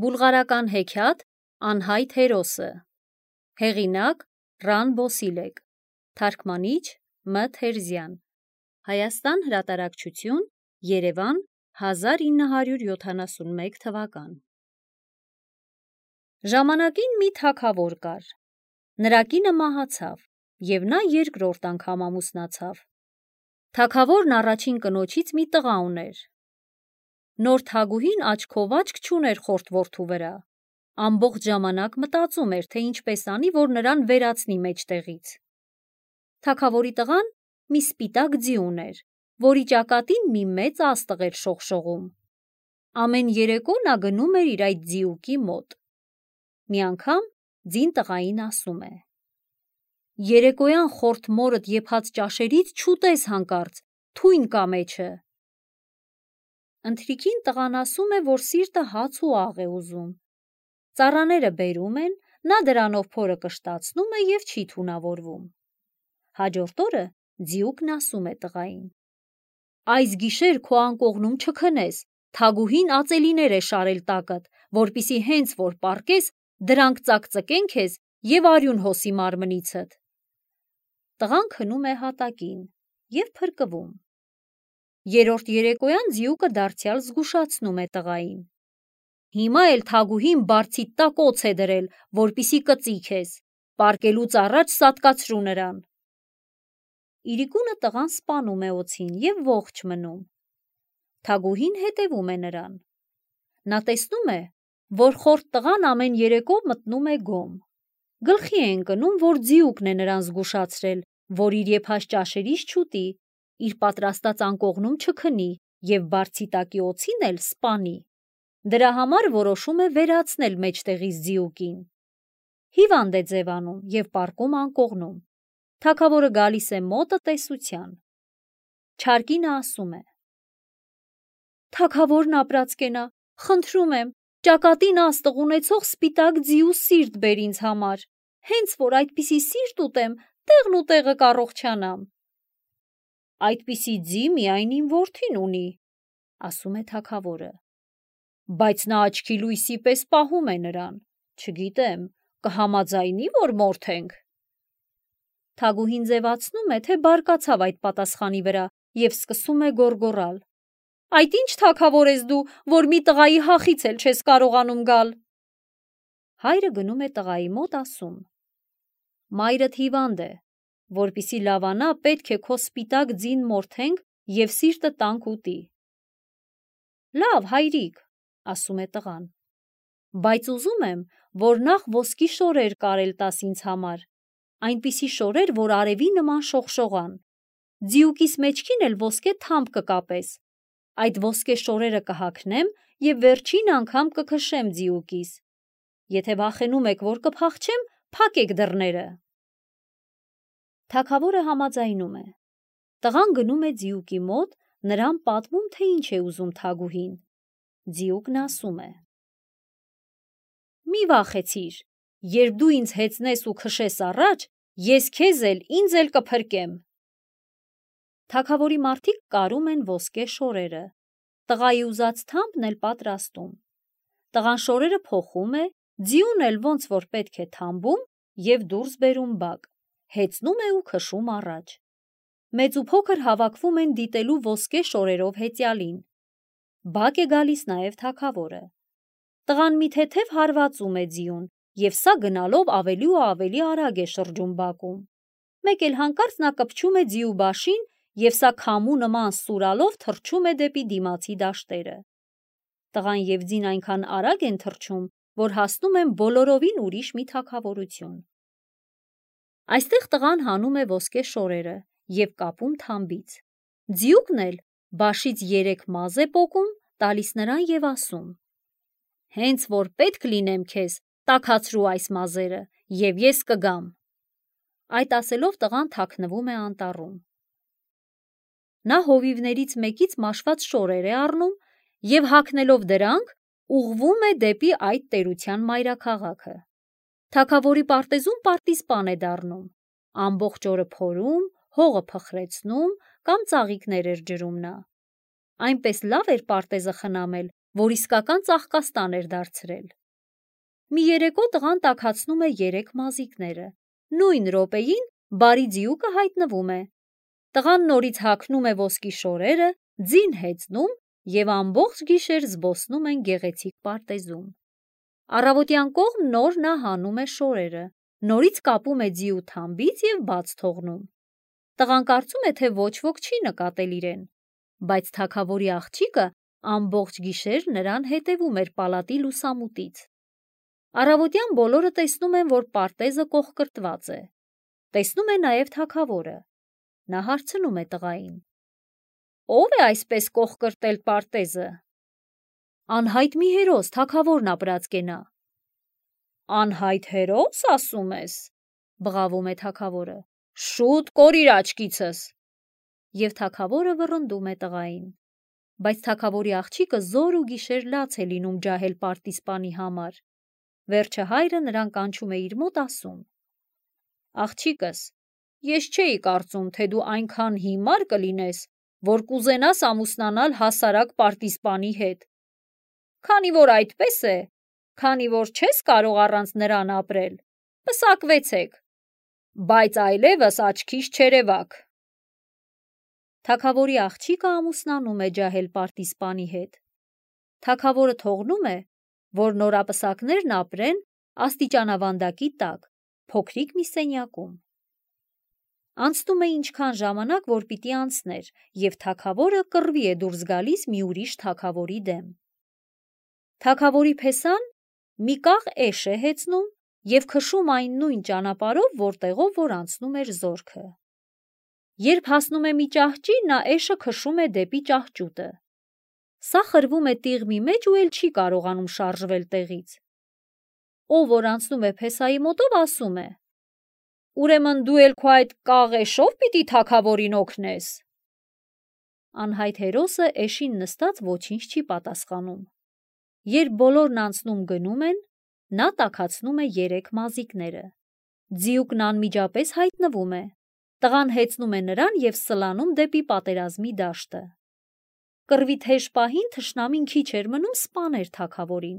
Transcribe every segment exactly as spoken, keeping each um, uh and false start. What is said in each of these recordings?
Բուլղարական հեքիաթ անհայտ հերոսը։ Հեղինակ Ռան Բոսիլեկ։ Թարգմանիչ Մ Թերզյան։ Հայաստան հրատարակչություն, Երևան, հազար ինը հարյուր յոթանասունմեկ թվական։ Ժամանակին մի թագավոր կար։ Նրա կինը մահացավ, և նա երկրորդ անգամ ամուսնացավ։ Թագավորն առաջին կնոջից մի տղա ուներ։ Նոր թագուհին աչքով աչք չուներ խորթ որդու վրա, ամբողջ ժամանակ մտածում էր, թե ինչպես անի, որ նրան վերացնի մեջտեղից։ Թագավորի տղան մի սպիտակ ձի ուներ, որի ճակատին մի մեծ աստղ էր շողշողում։ Ամեն երեկո նա գնում էր իր այդ ձիուկի մոտ։ Մի անգամ ձին տղային ասում է. «Երեկոյան խորթ մորդ եփած ճաշերից չուտես հանկարծ, թույն կա մեջը»։ Ընթրիքին տղան ասում է, որ սիրտը հաց ու աղ է ուզում։ Ծառաները բերում են, նա դրանով փորը կշտացնում է և չի թունավորվում։ Հաջորդ օրը ձիուկն ասում է տղային. «Այս գիշեր քո անկողնում չքնես, թագուհին ածելիներ է շարել տակդ, որպեսզի հենց որ պառկես, դրանք ծակծկեն քեզ և արյուն հոսի մարմնիցդ»։ Տղան քնում է հատակին և փրկվում։ Երրորդ երեկոյան ձիուկը դարձյալ զգուշացնում է տղային. «Հիմա էլ թագուհին բարձիդ տակ օձ է դրել, որպեսզի կծի քեզ, պառկելուց առաջ սատկացրու նրան»։ Իրիկունը տղան սպանում է օձին և ողջ մնում։ Թագուհին հետևում է նրան։ Նա տեսնում է, որ խորթ տղան ամեն երեկո մտնում է գոմ։ Գլխի է ընկնում, որ ձիուկն է նրան զգուշացրել, որ իր եփած ճաշերից չուտի, իր պատրաստած անկողնում չքնի և բարձի տակի օձին էլ սպանի։ Դրա համար որոշում է վերացնել մեջտեղից ձիուկին։ Հիվանդ է ձևանում և պառկում անկողնում։ Թագավորը գալիս է մոտը տեսության։ Չար կինը ասում է. «Թագավորն ապրած կենա, խնդրում եմ, ճակատին աստղ ունեցող սպիտակ ձիու սիրտ բեր ինձ համար, հենց որ այդպիսի սիրտ ուտեմ, տեղն ու տեղը կառողջանամ»։ «Այդպիսի ձի միայն իմ որդին ունի», ասում է թագավորը, «բայց նա աչքի լույսի պես պահում է նրան, չգիտեմ, կհամաձայնի՞, որ մորթենք»։ Թագուհին ձևացնում է, թե բարկացավ այդ պատասխանի վրա և սկսում է գոռգոռալ. «Այդ ի՞նչ թագավոր ես դու, որ մի տղայի հախից էլ չես կարողանում գալ»։ Հայրը գնում է տղայի մոտ, ասում. «Մայրդ հիվանդ է, որպեսզի լավանա, պետք է քո սպիտակ ձին մորթենք և սիրտը տանք ուտի»։ «Լավ, հայրիկ», ասում է տղան, «բայց ուզում եմ, որ նախ ոսկի շորեր կարել տաս ինձ համար, այնպիսի շորեր, որ արևի նման շողշողան, ձիուկիս մեջքին էլ ոսկե թամփ կկապես, այդ ոսկե շորերը կհագնեմ և վերջին անգամ կքշեմ ձիուկիս, եթե վախենում եք, որ կփախչեմ, փակեք դռները»։ Թագավորը համաձայնում է։ Տղան գնում է ձիուկի մոտ, նրան պատմում, թե ինչ է ուզում թագուհին։ Ձիուկն ասում է. «Մի վախեցիր, երբ դու ինձ հեծնես ու քշես առաջ, ես քեզ էլ, ինձ էլ կփրկեմ»։ Թագավորի մարդիկ կարում են ոսկե շորերը։ Տղայի ուզած թամփն էլ պատրաստում։ Տղան շորերը փոխում է, ձիուն էլ ոնց որ պետք է թամբում և դուրս բերում բակ, հեծնում է ու քշում առաջ։ Մեծ ու փոքր հավաքվում են դիտելու ոսկե շորերով հեծյալին։ Բակ է գալիս նաև թագավորը։ Տղան մի թեթև հարվածում է ձիուն, և սա գնալով ավելի ու ավելի արագ է շրջում բակում։ Մեկ էլ հանկարծ նա կպչում է ձիու բաշին, և սա քամու նման սուրալով թռչում է դեպի դիմացի դաշտերը։ Տղան և ձին այնքան արագ են թռչում, որ հասնում են բոլորովին ուրիշ մի թագավորություն։ Այստեղ տղան հանում է ոսկե շորերը և կապում թամբից։ Ձիուկն էլ բաշից երեք մազ է պոկում, տալիս նրան և ասում. «Հենց որ պետք լինեմ քեզ, տաքացրու այս մազերը, և ես կգամ»։ Այդ ասելով տղան թաքնվում է անտառում։ Նա հովիվներից մեկից մաշված շորեր է առնում և հագնելով դրանք ուղղվում է դեպի այդ տերության մայրաքաղաքը։ Թագավորի պարտեզում պարտիզպան է դառնում, ամբողջ օրը փորում, հողը փխրեցնում կամ ծաղիկներ էր ջրում նա։ Այնպես լավ էր պարտեզը խնամել, որ իսկական ծաղկաստան էր դարձրել։ Մի երեկո տղան տաքացնում է երեք մազիկները։ Նույն րոպեին բարի ձիուկը հայտնվում է։ Տղան նորից հագնում է ոսկի շորերը, ձին հեծնում և ամբողջ գիշեր զբոսնում են գեղեցիկ պարտեզում։ Առավոտյան կողմ նոր նա հանում է շորերը, նորից կապում է ձիու թամբից և բաց թողնում։ Տղան կարծում է, թե ոչ ոք չի նկատել իրեն, բայց թագավորի աղջիկը ամբողջ գիշեր նրան հետևում էր պալատի լուսամուտից։ Առավոտյան բոլորը տեսնում են, որ պարտեզը կողկրտված է։ Տեսնում է նաև թագավորը։ Նա հարցնում է տղային. «Ո՞վ է այսպես կողկրտել պարտեզը»։ «Անհայտ մի հերոս, թագավորն ապրած կենա»։ «Անհայտ հերո՞ս, ասում ես», բղավում է թագավորը։ «Շուտ կորիր աչքիցս»։ Եվ թագավորը վռնդում է տղային։ Բայց թագավորի աղջիկը զոր ու գիշեր լաց է լինում ջահել պարտիզպանի համար։ Վերջը հայրը նրան կանչում է իր մոտ, ասում. «Աղջիկս, ես չէի կարծում, թե դու այնքան հիմար կլինես, որ կուզենաս ամուսնանալ հասարակ պարտիզպանի հետ։ Քանի որ այդպես է, քանի որ չես կարող առանց նրան ապրել, պսակվեցեք, բայց այլևս աչքիս չերևաք»։ Թագավորի աղջիկը ամուսնանում է ջահել պարտիզպանի հետ։ Թագավորը թողնում է, որ նորապսակներն ապրեն աստիճանավանդակի տակ, փոքրիկ մի սենյակում։ Անցնում է ինչքան ժամանակ, որ պիտի անցներ, և թագավորը կռվի է դուրս գալիս մի ուրիշ թագավորի դեմ։ Թագավորի փեսան մի կաղ էշ է հեծնում և քշում այն նույն ճանապարհով, որտեղով որ անցնում էր զորքը։ Երբ հասնում է մի ճահճի, նա էշը քշում է դեպի ճահճուտը։ Սա խրվում է տիղմի մեջ ու էլ չի կարողանում շարժվել տեղից։ Ով որ անցնում է փեսայի մոտով, ասում է. «Ուրեմն դու էլ քո այդ կաղ էշով պիտի թագավորին օգնես»։ Անհայտ հերոսը էշին նստած ոչինչ չի պատասխանում։ Երբ բոլորն անցնում գնում են, նա տաքացնում է երեք մազիկները։ Ձիուկն անմիջապես հայտնվում է։ Տղան հեծնում է նրան և սլանում դեպի պատերազմի դաշտը։ Կռվի թեժ պահին թշնամին քիչ էր մնում սպաներ թագավորին,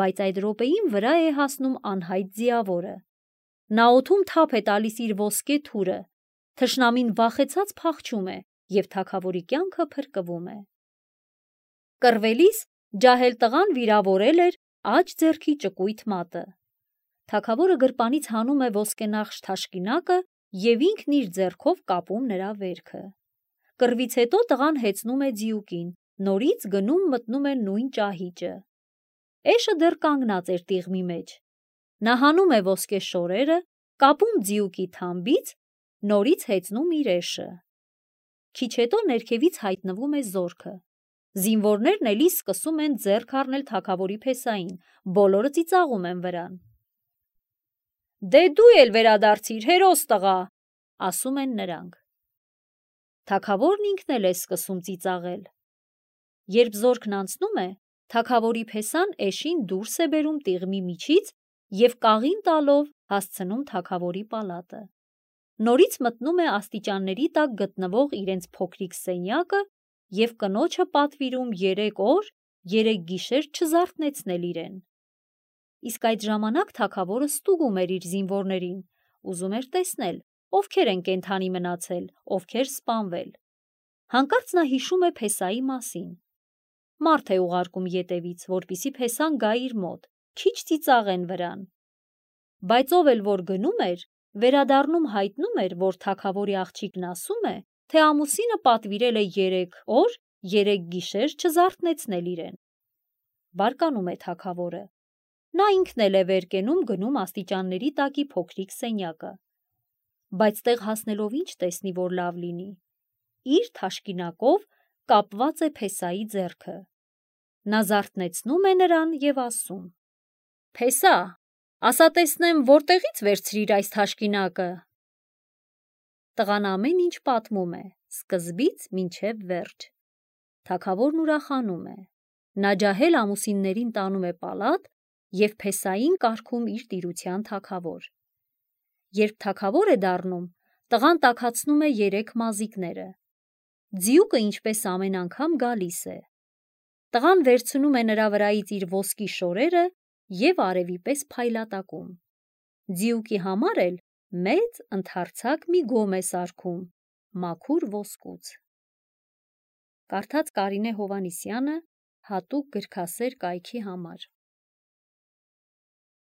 բայց այդ րոպեին վրա է հասնում անհայտ ձիավորը։ Նա օդում թափ է տալիս իր ոսկե թուրը, թշնամին վախեցած փախչում է և թագավորի կյանքը փրկվում է։ Կռվելիս ջահել տղան վիրավորել էր աջ ձեռքի ճկույտ մատը։ Թագավորը գրպանից հանում է ոսկենախշ թաշկինակը և ինքն իր ձեռքով կապում նրա վերքը։ Կռվից հետո տղան հեծնում է ձիուկին, նորից գնում մտնում է նույն ճահիճը։ Էշը դեռ կանգնած էր տիղմի մեջ։ Նա հանում է ոսկե շորերը, կապում ձիուկի թամբից, նորից հեծնում իր էշը։ Քիչ հետո ներքևից հայտնվում է զորքը։ Զինվորներն էլի սկսում են ձեռք առնել թագավորի փեսային, բոլորը ծիծաղում են վրան։ «Դե դու էլ վերադարձիր, հերոս տղա», ասում են նրանք։ Թագավորն ինքն էլ է սկսում ծիծաղել։ Երբ զորքն անցնում է, թագավորի փեսան էշին դուրս է բերում տիղմի միջից և կաղին տալով հասցնում թագավորի պալատը։ Նորից մտնում է աստիճանների տակ գտնվող իրենց փոքրիկ սենյակը և կնոջը պատվիրում երեք օր, երեք գիշեր չզարթնեցնել իրեն։ Իսկ այդ ժամանակ թագավորը ստուգում էր իր զինվորներին, ուզում էր տեսնել, ովքեր են կենդանի մնացել, ովքեր սպանվել։ Հանկարծ նա հիշում է փեսայի մասին։ Մարդ է ուղարկում ետևից, որպեսզի փեսան գա իր մոտ, քիչ ծիծաղեն վրան։ Բայց ով էլ որ գնում էր, վերադառնում հայտնում էր, որ թագավորի աղջիկն ասում է, թե ամուսինը պատվիրել է երեք օր, երեք գիշեր չզարթնեցնել իրեն։ Բարկանում է թագավորը։ Նա ինքն էլ է վեր կենում գնում աստիճանների տակի փոքրիկ սենյակը։ Բայց տեղ հասնելով ինչ տեսնի, որ լավ լինի։ Իր թաշկինակով կապված է փեսայի ձեռքը։ Նա զարթնեցնում է նրան և ասում. «Փեսա, ասա տեսնեմ, որտեղից վերցրիր այս թաշկինակը»։ Տղան ամեն ինչ պատմում է, սկզբից մինչև վերջ։ Թագավորն ուրախանում է։ Նա ջահել ամուսիններին տանում է պալատ և փեսային կարգում իր տիրության թագավոր։ Երբ թագավոր է դառնում, տղան տաքացնում է երեք մազիկները։ Ձիուկը ինչպես ամեն անգամ գալիս է։ Տղան վերցնում է նրա վրայից իր ոսկի շորերը և արևի պես փայլատակում։ Ձիուկի համար էլ մեծ ընդարձակ մի գոմ է սարքում մաքուր ոսկուց։ Կարդաց Կարինե Հովհաննիսյանը հատուկ գրքասեր կայքի համար։